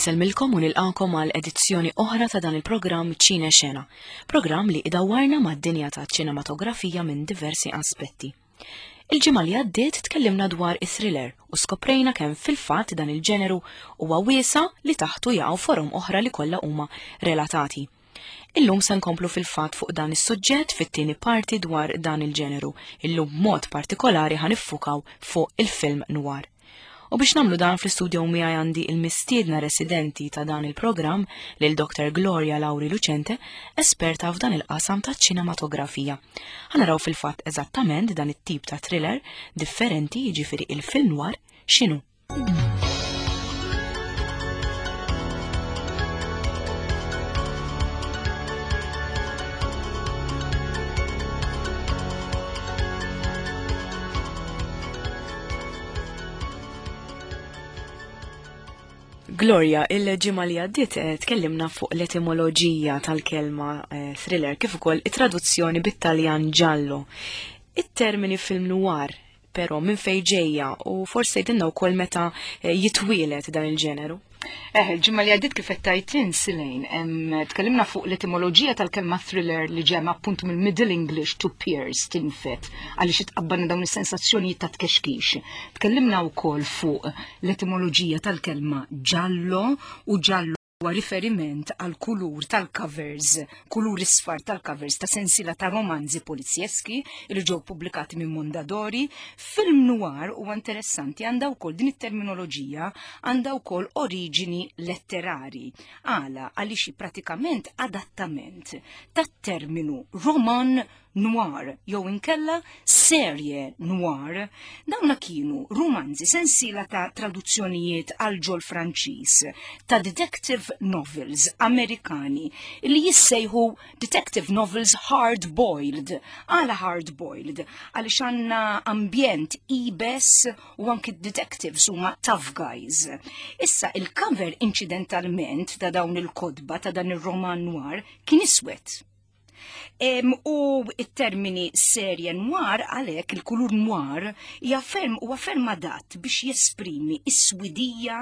Insellmilkom u nilqakom għal edizzjoni oħra ta' dan il-programm Ċine Xena, programm li idawwarna mad-dinja ta' ċinematografija minn diversi aspetti. Il-ġimgħa li għaddiet tkellimna dwar is-thriller u skoprejna kemm fil-fatt dan il-ġeneru huwa wiesa li taħtu jaqgħu forom oħra li kollha huma relatati. Illum se nkomplu fil-fatt fuq dan is-suġġett fit-tieni parti dwar dan il-ġeneru. Illum b'mod partikolari ħa niffukaw fuq il-film noir. U biex nagħmlu dan fl-istudio miegħi għandi il-mistiedna residenti ta' dan il-programm lil Dr. Gloria Lauri Lucente, esperta f'dan il-qasam ta' ċinematografija. Ħa naraw fil-fatt eżattament dan it-tip ta' thriller differenti jiġifieri il-film noir x'inhu. Gloria, il-ġimgħa li għaddiet eh, tkellimna fuq l-etimoloġija tal-kelma eh, thriller kif ukoll it-traduzzjoni bit-Taljan giallo. It-termini film noir però minn fejn ġejja u forsi tgħidilna wkoll meta eh, jitwielet dan il-ġeneru. Eh, il-ġimgħa li għaddiet kif qed tgħid Silejn, tkellimna fuq l-etimoloġija tal-kelma thriller li ġemma appuntu mill-Middle English to pierce tinfet għaliex itqabbalna dawn is-sensazzjonijiet ta' tkexkix. Tkellimna wkoll fuq l-etimoloġija tal-kelma giallo u giallo huwa riferiment għal kulur tal-covers, kulur isfar tal-covers ta' sensiela ta' romanzi polizjeski li ġew pubblikati minn Mondadori. Film noir huwa interessanti għandha wkoll din it-terminoloġija għandha wkoll oriġini letterari. Għala għaliex pratikament adattament tat-terminu roman noir jew inkella serie noir. Dawna kienu rumanzi sensiela ta' traduzzjonijiet għal ġol Franċiż ta' detective novels Amerikani li jissejħu detective novels hard boiled. Għala hard boiled? Għaliex għandna ambjent ibes u anki detectives huma tough guys. Issa il-cover inċidentalment ta' dawn il-kodba ta' dan ir-roman noir kien iswed. U it-termini serje noir għalhekk il-kulur noir hija ferm huwa ferm adatt biex jesprimi s-swidija,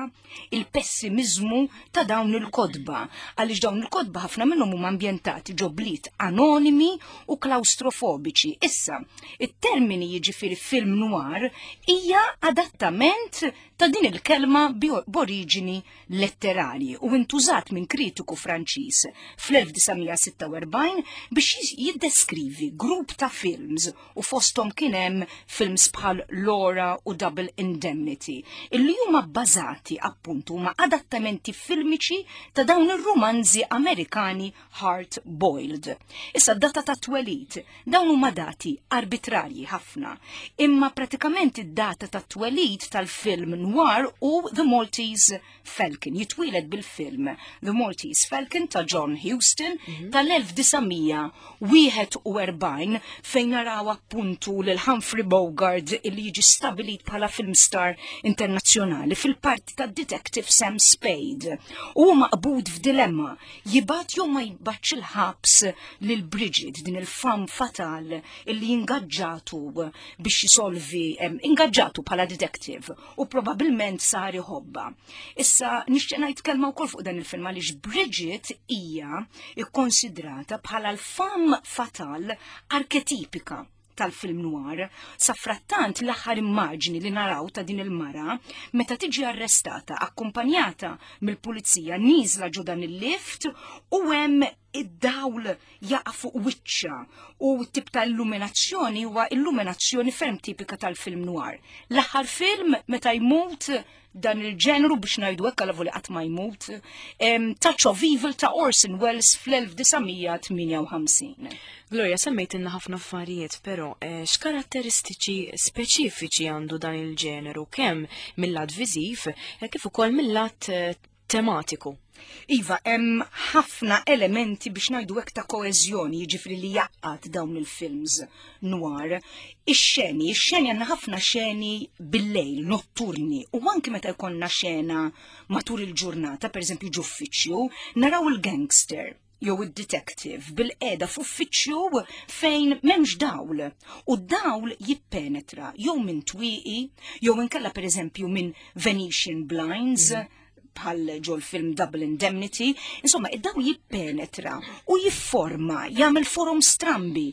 il-pessimizmu ta' dawn il-kodba. Għaliex dawn il-kodba ħafna minnhom huma ambjentati ġo bliet anonimi u klaustrofobiċi. Issa, it-termini jiġifieri film noir hija adattament ta' din il-kelma b'oriġini letterarji u intużat minn kritiku Franċiż fl-1946 biex jiddeskrivi grupp ta' films u fosthom kien hemm films bħal Laura u Double Indemnity illi huma bbażati appuntu huma adattamenti filmiċi ta' dawn ir-rumanzi Amerikani hard boiled. Issa d-data ta' twelid Dawn huma dati arbitrarji ħafna, imma pratikament id-data tat-twelid tal-film noir u The Maltese Falcon. Jitwieled bil-film The Maltese Falcon ta' John Huston mm -hmm. tal-1941 fejn naraw appuntu lil Humphrey Bogart illi jiġi stabilit bħala film star internazzjonali fil-parti ta' Detective Sam Spade. U maqbud f'dilemma jibgħat jew ma jibgħatx il-ħabs lil Bridget din il-fam fatal illi ingaġġatu biex jisolvi ingaġġatu bħala detective u probabilment sar iħobba. Issa nixtieq ngħid kelma wkoll fuq dan il-film għaliex Bridget hija ikkonsidrata bħala l-fam fatal arketipika tal-film noir. Safrattant l-aħħar immaġni li naraw ta' din il-mara meta tiġi arrestata akkumpanjata mill-pulizija nieżla ġo dan il-lift u hemm id-dawl jaqa' fuq wiċċa u t-tip ta' illuminazzjoni huwa illuminazzjoni ferm tipika tal-film noir. L-aħħar film meta jmut dan il-ġenru biex ngħidu hekk għal li qatt ma jmut, Touch of Evil ta' Orson Welles fl-1958. Gloria, semmejtilna ħafna affarijiet, però eh, x'karatteristiċi speċifiċi għandu dan il-ġeneru kemm mill-lat viżiv eh, kif ukoll mill-lat eh, tematiku? Iva, hemm ħafna elementi biex ngħidu hekk ta' koeżjoni, jiġifieri li jaqgħad dawn il-films noir. Ix-xeni, ix-xeni għandna ħafna xeni bil-lejl, notturni, u anki meta jkollna xena matul il-ġurnata, pereżempju ġuffiċċju, naraw il-gangster jew id-detective bil-qeda f'uffiċċju fejn m'hemmx dawl u d-dawl jippenetra jew minn twieqi jew inkella pereżempju minn Venetian blinds mm. bħal ġol film Double Indemnity, insomma, id-dawl jippenetra u jifforma, jagħmel forom strambi,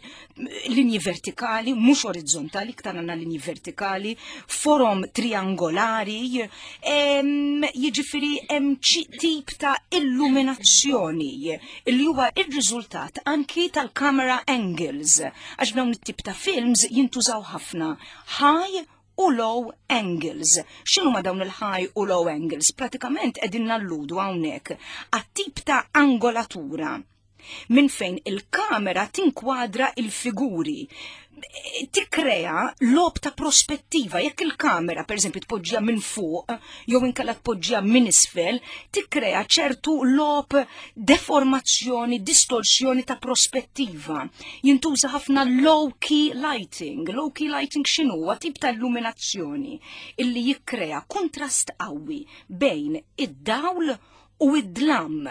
linji vertikali, mhux orizzontali, iktar għandna linji vertikali, forom triangolari, jiġifieri hemm tip ta' illuminazzjoni li huwa ir-riżultat anki tal-camera angles, għax dawn it-tip ta' films jintużaw ħafna high u low angles. X'inhuma dawn il-high u low angles? Pratikament qegħdin nalludu hawnhekk għat-tip ta' angolatura minn fejn il-kamera tinkwadra il-figuri tikkrea logħob ta' prospettiva. Jekk il-kamera, per eżempju, tpoġġija minn fuq, jew inkella tpoġġija minn isfel, tikkrea ċertu logħob deformazzjoni, distorsjoni ta' prospettiva. Jintuża ħafna low key lighting. Low key lighting x'inhu? Huwa tip ta' illuminazzjoni illi jikkrea kuntrast qawwi bejn id-dawl u id-dlam.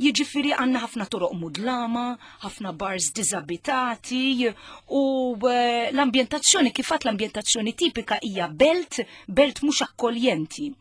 Jiġifieri għandna ħafna toroq mudlama, ħafna bars diżabitati u eh, l-ambjentazzjoni kif l-ambjentazzjoni tipika hija belt, belt mhux akkoljenti.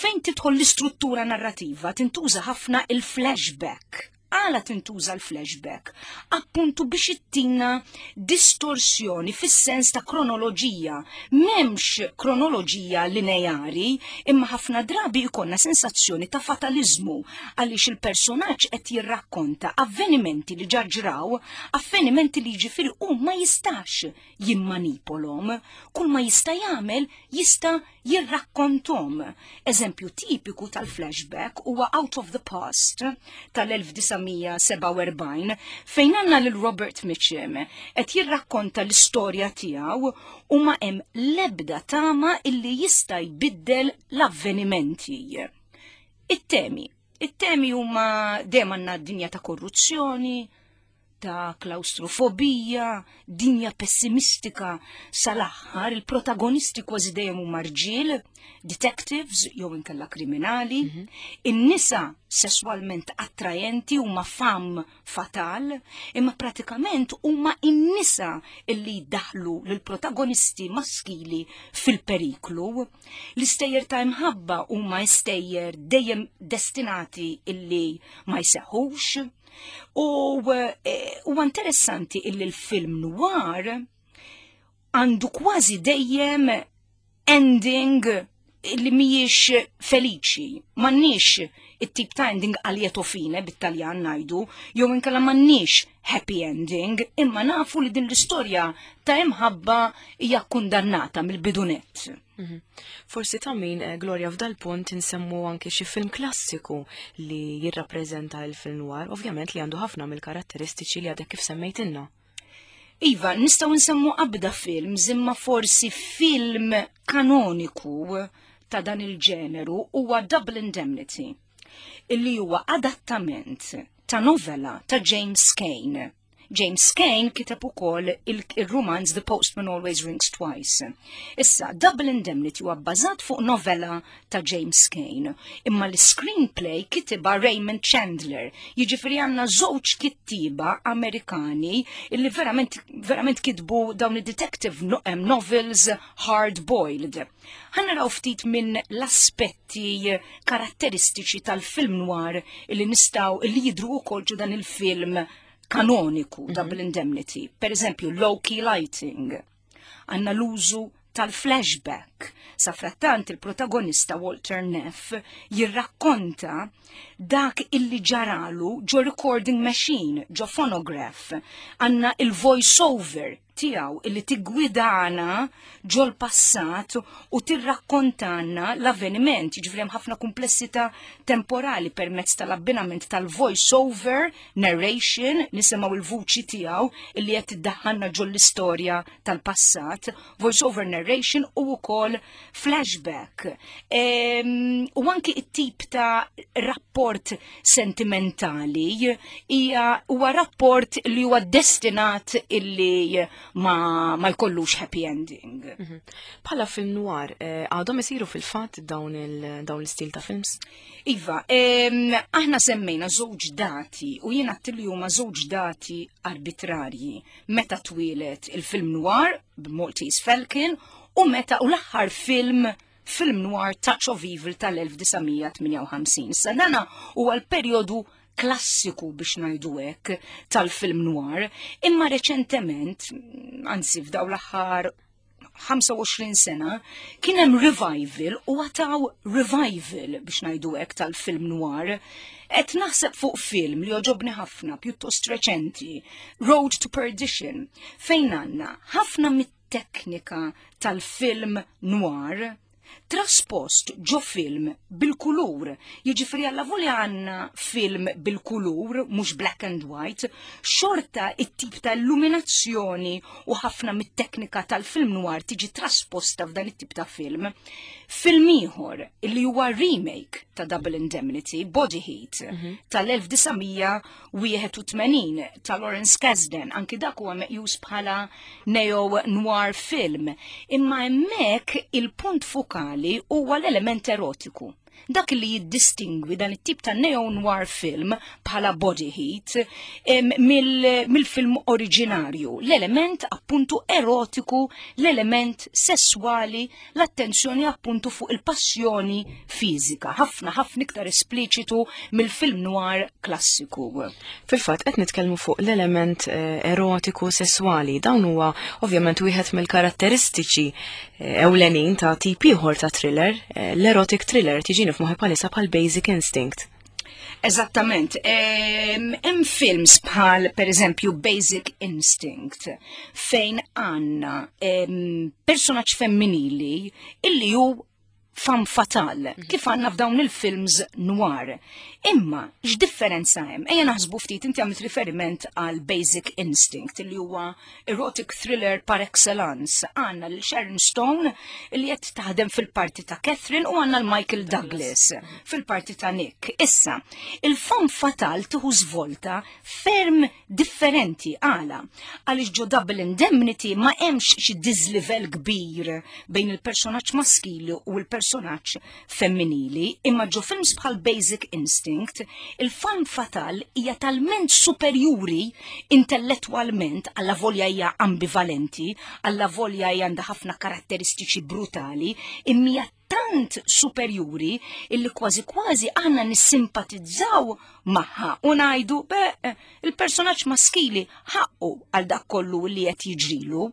Fejn tidħol l-istruttura narrativa tintuża ħafna il-flashback Għala tintuża l-flashback? Appuntu biex ittina distorsjoni fis-sens ta' kronoloġija. M'hemmx kronoloġija lineari, imma ħafna drabi jkollna sensazzjoni ta' fataliżmu għaliex il-personaġġ qed jirrakkonta avvenimenti li ġa ġraw, avvenimenti li jiġifieri hu ma jistax jimmanipolhom. Kull ma jista' jagħmel jista' jirrakkonthom. Eżempju tipiku tal-flashback huwa Out of the Past tal-1947 fejn għandna lil Robert Mitchum qed jirrakkonta l-istorja tiegħu u ma hemm l-ebda tama illi jista' jbiddel l-avvenimenti. It-temi. It-temi huma dejjem għandna d-dinja ta' korruzzjoni, ta' klaustrofobija, dinja pessimistika sal-aħħar, il-protagonisti kważi dejjem huma rġiel, detectives jew inkella kriminali, mm -hmm. in-nisa sesswalment attrajenti huma fam fatal, imma pratikament huma in-nisa illi jdaħlu lill-protagonisti maskili fil-periklu. L-istejjer ta' imħabba huma istejjer dejjem destinati illi ma jseħħux. U eh, huwa interessanti illi l-film noir għandu kważi dejjem ending li mhijiex feliċi, m'għandniex it-tip ta' ending a lieto fine bit-Taljan ngħidu, jew inkella m'għandniex happy ending, imma nafu li din l-istorja ta' imħabba hija kundannata mill-bidunett. Mhm. Forsi ta' min, eh, Gloria, f'dal punt insemmu anke xi film klassiku li jirrappreżenta l-film noir, ovvjament li għandu ħafna mill-karatteristiċi li għadek kif semmejtilna. Iva, nistgħu nsemmu qabda film, imma forsi film kanoniku ta' dan il-ġeneru huwa Double Indemnity, illi huwa adattament ta' novella ta' James Cain. James Cain kiteb ukoll il-rumanz The Postman Always Rings Twice. Issa, Double Indemnity huwa bbażat fuq novella ta' James Cain, imma l-screenplay kitibha Raymond Chandler, jiġifieri għandna żewġ kittiba Amerikani illi verament, verament kitbu dawn id-detective novels hard boiled. Ħa naraw ftit minn l-aspetti karatteristiċi tal-film noir illi nistgħu illi jidru wkoll ġo dan il-film kanoniku mm -hmm. Double Indemnity. Per eżempju, low key lighting. Għanna l-użu tal-flashback. Safrattant il-protagonista Walter Neff jirrakkonta dak illi ġaralu ġo recording machine, ġo phonograph. Għanna il-voice over tiegħu illi tiggwidana ġol-passat u tirrakkontanna l-avveniment, jiġifieri hemm ħafna kumplessità temporali permezz tal-abbinament tal-voice over narration, nisimgħu il-vuċi tiegħu illi qed tiddaħħalna ġol-istorja tal-passat, voice over narration u wkoll flashback. Ehm, u anki it-tip ta' rapport sentimentali hija huwa rapport li huwa destinat illi ma, ma jkollux happy ending. Mhm. Bħala film noir, eh, għadhom isiru fil-fatt dawn l-istil ta' films? Iva, aħna semmejna żewġ dati u jiena li huma żewġ dati arbitrarji. Meta twieled il-film noir b'Maltese Falcon u meta u l-aħħar film film noir Touch of Evil tal-1958. Issa dana huwa l-perjodu klassiku biex ngħidu hekk tal-film noir, imma reċentement, anzi f'daw l-aħħar 25 sena, kien hemm revival u għataw revival biex ngħidu hekk tal-film noir. Qed naħseb fuq film li joġobni ħafna pjuttost reċenti, Road to Perdition, fejn għandna ħafna mit-teknika tal-film noir traspost ġo film bil-kulur. Jiġifieri alla volja għandna film bil-kulur, mhux black and white, xorta it-tip ta' illuminazzjoni u ħafna mit-teknika tal-film noir tiġi trasposta f'dan it-tip ta' film. Film ieħor li huwa remake ta' Double Indemnity, Body Heat, tal-1981 ta' Lawrence Kasdan, anki dak huwa meqjus bħala neo-noir film. Imma hemmhekk il-punt fokali huwa l-element erotiku. Dak li jiddistingwi dan it-tip ta' neo-noir film bħala Body Heat mill-film oriġinarju. L-element appuntu erotiku, l-element sesswali, l-attenzjoni appuntu fuq il-passjoni fiżika. Ħafna ħafna iktar espliċitu mill-film noir klassiku. Fil-fatt qed nitkellmu fuq l-element erotiku sesswali. Dawn huwa ovvjament wieħed mill-karatteristiċi ewlenin ta' tip ieħor ta' thriller, l-erotic thriller tiġini f'moħħi bħalissa bħal Basic Instinct. Eżattament. Hemm films bħal per eżempju Basic Instinct fejn għandna personaġġ femminili illi hu femme fatale, kif għandna f'dawn il-films noir. Imma, x'differenza hemm? Ejja naħsbu ftit, inti għamilt riferiment għal Basic Instinct, li huwa erotic thriller par excellence. Għandna lil Sharon Stone li qed taħdem fil-parti ta' Catherine u għandna l-Michael Douglas fil-parti ta' Nick. Issa, il-femme fatale tieħu svolta ferm differenti għala. Għaliex ġo Double Indemnity ma hemmx xi dislivel kbir bejn il-personaġġ maskili u l-personaġġ femminili, imma ġo films bħal Basic Instinct, il-femme fatale hija talment superjuri intellettwalment alla volja hija ambivalenti, alla volja hija għandha ħafna karatteristiċi brutali, imma hija tant superjuri illi kważi kważi aħna nissimpatizzaw magħha u ngħidu be il-personaġġ maskili ħaqqu għal dak kollu li qed jiġrilu.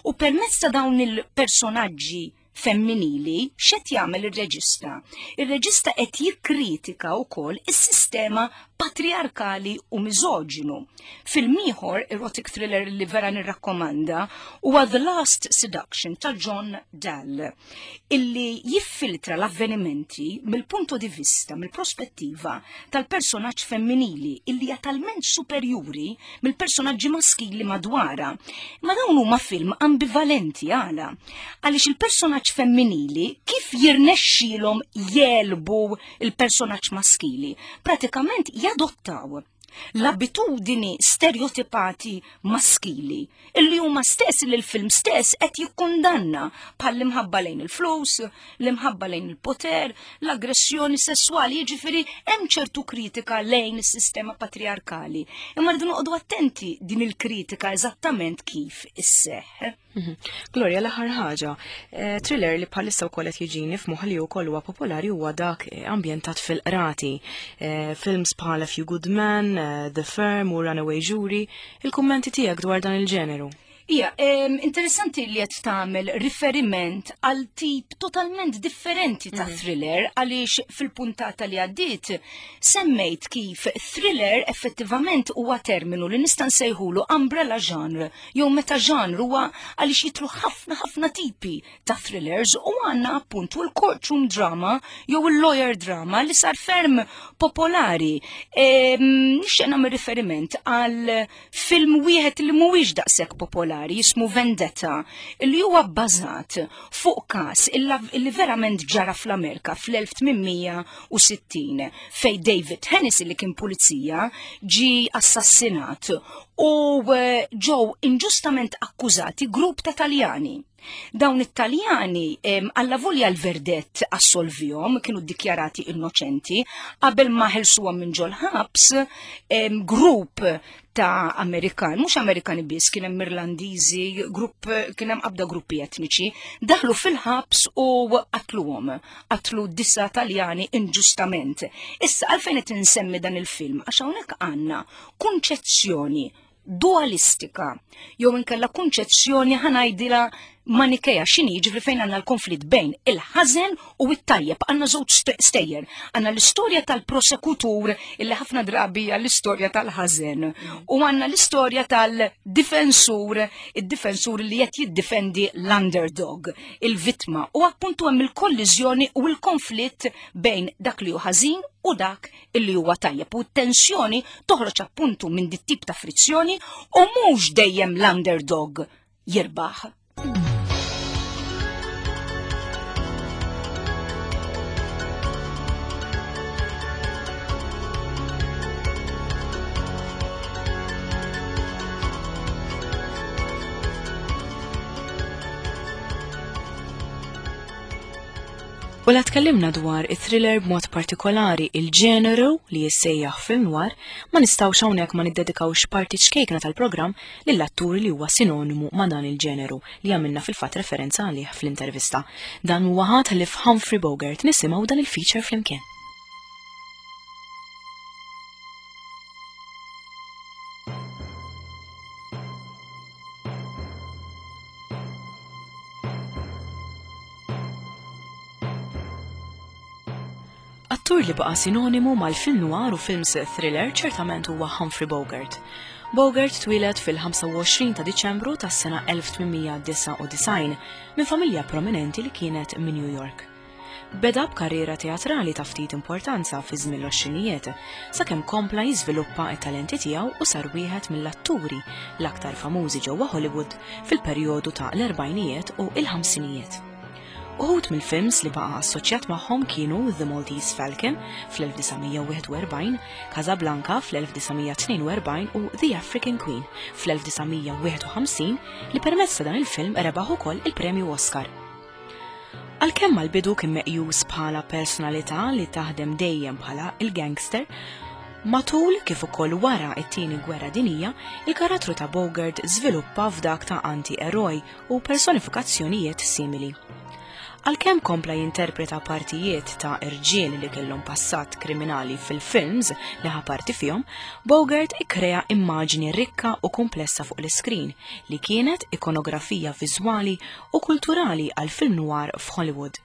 U permezz ta' dawn il-personaġġi femminili x'qed jagħmel ir-reġista? Ir-reġista qed jikkritika wkoll is-sistema patriarkali u miżoġinu. Film ieħor erotic thriller li vera nirrakkomanda huwa The Last Seduction ta' John Dahl, illi jiffiltra l-avvenimenti mill-punto di vista, mill-prospettiva tal-personaġġ femminili illi hija talment superjuri mill-personaġġi maskili madwara. Ma dawn huma film ambivalenti għala. Għaliex il-personaġġ femminili kif jirnexxilhom jelbu il-personaġġ maskili? Pratikament jadottaw l-abitudini stereotipati maskili illi huma stess li l-film stess qed jikkundanna bħal l-imħabba lejn il-flus, l-imħabba lejn il-poter, l-aggressjoni sessuali, jiġifieri hemm ċertu kritika lejn is-sistema patriarkali. Imma rridu noqogħdu attenti din il-kritika eżattament kif isseħħ. Gloria, l-aħħar ħaġa, thriller li bħalissa wkoll qed jiġini f'moħħi li wkoll huwa popolari huwa dak ambjentat fil-qrati. Films bħal A Few Good Men, The Firm u Runaway Jury, il-kummenti tiegħek dwar dan il-ġeneru? Ija, interessanti li qed tagħmel riferiment għal tip totalment differenti ta' thriller għaliex fil-puntata li għaddiet semmejt kif thriller effettivament huwa terminu li nista' nsejħulu umbrella genre jew meta genre huwa għaliex jitlu ħafna ħafna tipi ta' thrillers u għandna appuntu l-courtroom drama jew il-lawyer drama li sar ferm popolari. Nixtieq nagħmel riferiment għal film wieħed li mhuwiex daqshekk popolari jismu Vendetta li huwa bbażat fuq każ illi verament ġara fl-Amerika fl-1860 fej David Hennessy li kien pulizija ġi assassinat u ġew inġustament akkużati grupp ta' Taljani. Dawn it-Taljani allavolja l-verdett assolvihom, kienu ddikjarati innoċenti, qabel ma ħelsuhom minn ġol-ħabs, grupp ta' Amerikan, mhux Amerikani biss, kien hemm Irlandiżi, grupp kien hemm qabda gruppi etniċi, daħlu fil-ħabs u qatluhom, qatlu disa Taljani inġustament. Issa għalfejn qed insemmi dan il-film għax hawnhekk għandna kunċezzjoni dualistika jew inkella kunċezzjoni ħanajdilha manikeja x'inhi ġifri fejn għandna l-konflitt bejn il-ħażen u t-tajjeb għandna żewġ stejjer. Għandna l-istorja tal-prosekutur illi ħafna drabi hija l-istorja tal-ħażen u għandna l-istorja tal-difensur, id-difensur li qed jiddifendi l-underdog, il-vittma u appuntu hemm il-kolliżjoni u l-konflitt bejn dak li hu ħażin u dak illi huwa tajjeb u t-tensjoni toħroġ appuntu minn dit tip ta' frizzjoni u mhux dejjem l-underdog jirbaħ. U la tkellimna dwar it-thriller b'mod partikolari il-ġeneru li jissejjaħ film noir, ma nistgħux hawnhekk ma niddedikawx parti ċkejkna tal-programm lill-attur li huwa sinonimu ma' dan il-ġeneru li għamilna fil-fatt referenza għalih fl-intervista. Dan huwa ħadd ħlief Humphrey Bogart nisimgħu dan il-feature flimkien. Attur li baqa' sinonimu mal-film noir u films thriller ċertament huwa Humphrey Bogart. Bogart twieled fil-25 ta' Diċembru tas-sena 1899 minn familja prominenti li kienet minn New York. Beda b'karriera teatrali ta' ftit importanza fi żmien l-għoxrinijiet, sakemm kompla jiżviluppa t-talenti tiegħu u sar wieħed mill-atturi l-aktar famużi ġewwa Hollywood fil-perjodu ta' l-erbgħinijiet u l-ħamsinijiet. Uħud mill-films li baqa' assoċjat magħhom kienu The Maltese Falcon fl-1941, Casablanca fl-1942 u The African Queen fl-1951 li permezz ta' dan il-film rebaħ ukoll il-Premju Oscar. Għalkemm għall-bidu kien meqjus bħala personalità li taħdem dejjem bħala il-gangster, matul kif ukoll wara t-Tieni Gwerra Dinjija, il-karattru ta' Bogart żviluppa f'dak ta' anti-eroj u personifikazzjonijiet simili. Għalkemm kompla jinterpreta partijiet ta' irġiel li kellhom passat kriminali fil-films li ħa parti fihom, Bogart ikkrea immaġni rikka u kumplessa fuq l-iskrin li kienet ikonografija viżwali u kulturali għall-film noir f'Hollywood.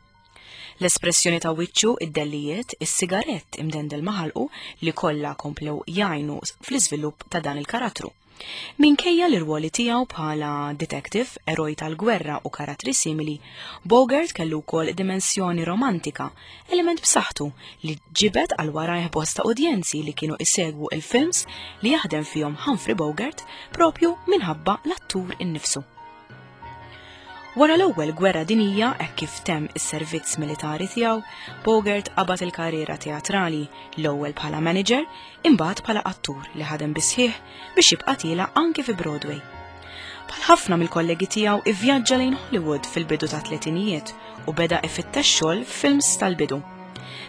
L-espressjoni ta' wiċċu, id-dellijiet, is-sigarett imdendel ma' ħalqu li kollha komplew jgħinu fl-iżvilupp ta' dan il-karattru. Minkejja l-irwoli tiegħu bħala detective, eroj tal-gwerra u karattri simili, Bogart kellu wkoll dimensjoni romantika, element b'saħħtu li ġibed għal warajh bosta udjenzi li kienu isegwu il-films li jaħdem fihom Humphrey Bogart propju minħabba l-attur innifsu. Wara l-Ewwel Gwerra Dinjija, hekk kif temm is-servizz militari tiegħu, Bogart qabad il-karriera teatrali, l-ewwel bħala manager, imbagħad bħala attur li ħadem bis-sħiħ biex jibqa' tiela' anki fi Broadway. Bħal ħafna mill-kollegi tiegħu ivvjaġġa lejn Hollywood fil-bidu tat-tletinijiet u beda ifittex xogħol f'films tal-bidu.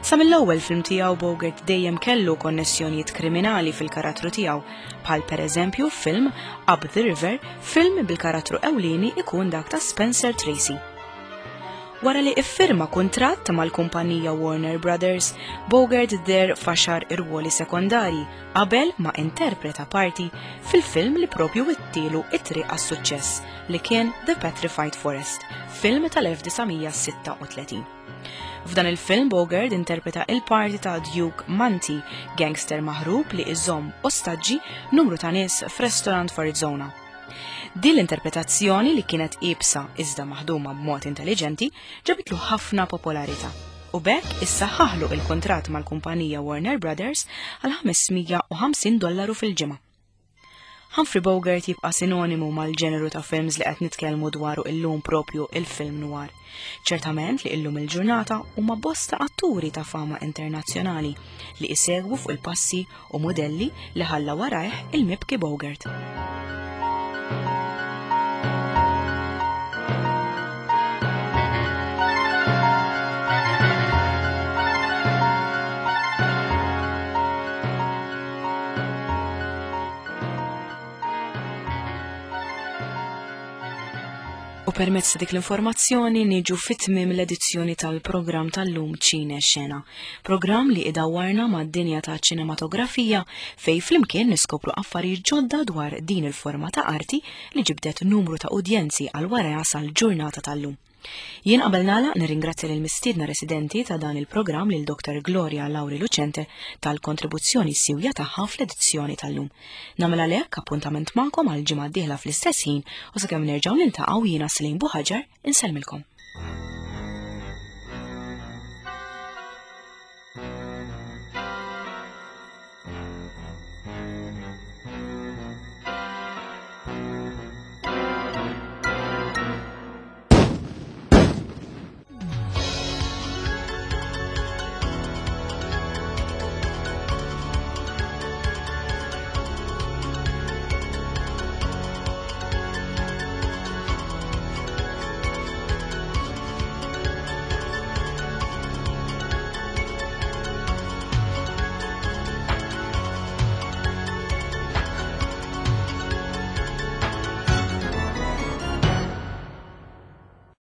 Sa mill-ewwel film tiegħu Bogart dejjem kellu konnessjonijiet kriminali fil-karattru tiegħu, bħal pereżempju f'film Up the River, film bil-karattru ewlieni ikun dak ta' Spencer Tracy. Wara li iffirma kuntratt mal-kumpanija Warner Brothers, Bogart deher f'għaxar irwoli sekondarji qabel ma interpreta parti fil-film li propju wittielu it-triq għas-suċċess li kien The Petrified Forest, film tal-1936. F'dan il-film Bogart interpreta il-parti ta' Duke Manti, gangster maħrub li iżomm ostaġġi numru ta' nies f'restorant f'Arizona. Din l-interpretazzjoni li kienet iebsa iżda maħduma b'mod intelliġenti ġabitlu ħafna popolarità u b'hekk issaħħaħlu il-kuntratt mal-kumpanija Warner Brothers għal 550 dollaru fil-ġimgħa. Humphrey Bogart jibqa' sinonimu mal-ġeneru ta' films li qed nitkellmu dwaru illum propju il-film noir. Ċertament li illum il-ġurnata huma bosta atturi ta' fama internazzjonali li isegwu fuq il-passi u modelli li ħalla warajh il-mibki Bogart. U permezz ta' dik l-informazzjoni niġu fit-tmiem l-edizzjoni tal-programm tal-lum Ċine Xena. Programm li idawwarna mad-dinja ta' ċinematografija fej flimkien niskopru affarijiet ġodda dwar din il-forma ta' arti li ġibdet numru ta' udjenzi għal warajha sal-ġurnata tal-lum. Jien qabel nagħlaq nirringrazzja lil mistiedna residenti ta' dan il-programm lil Dr. Gloria Lauri Lucente tal-kontribuzzjoni siwja tagħha fl-edizzjoni tal-lum. Nagħmel għalhekk appuntament magħkom għal ġimgħa d-dieħla fl-istess ħin u sakemm nerġgħu niltaqgħu jiena Slim Buħaġar insellmilkom.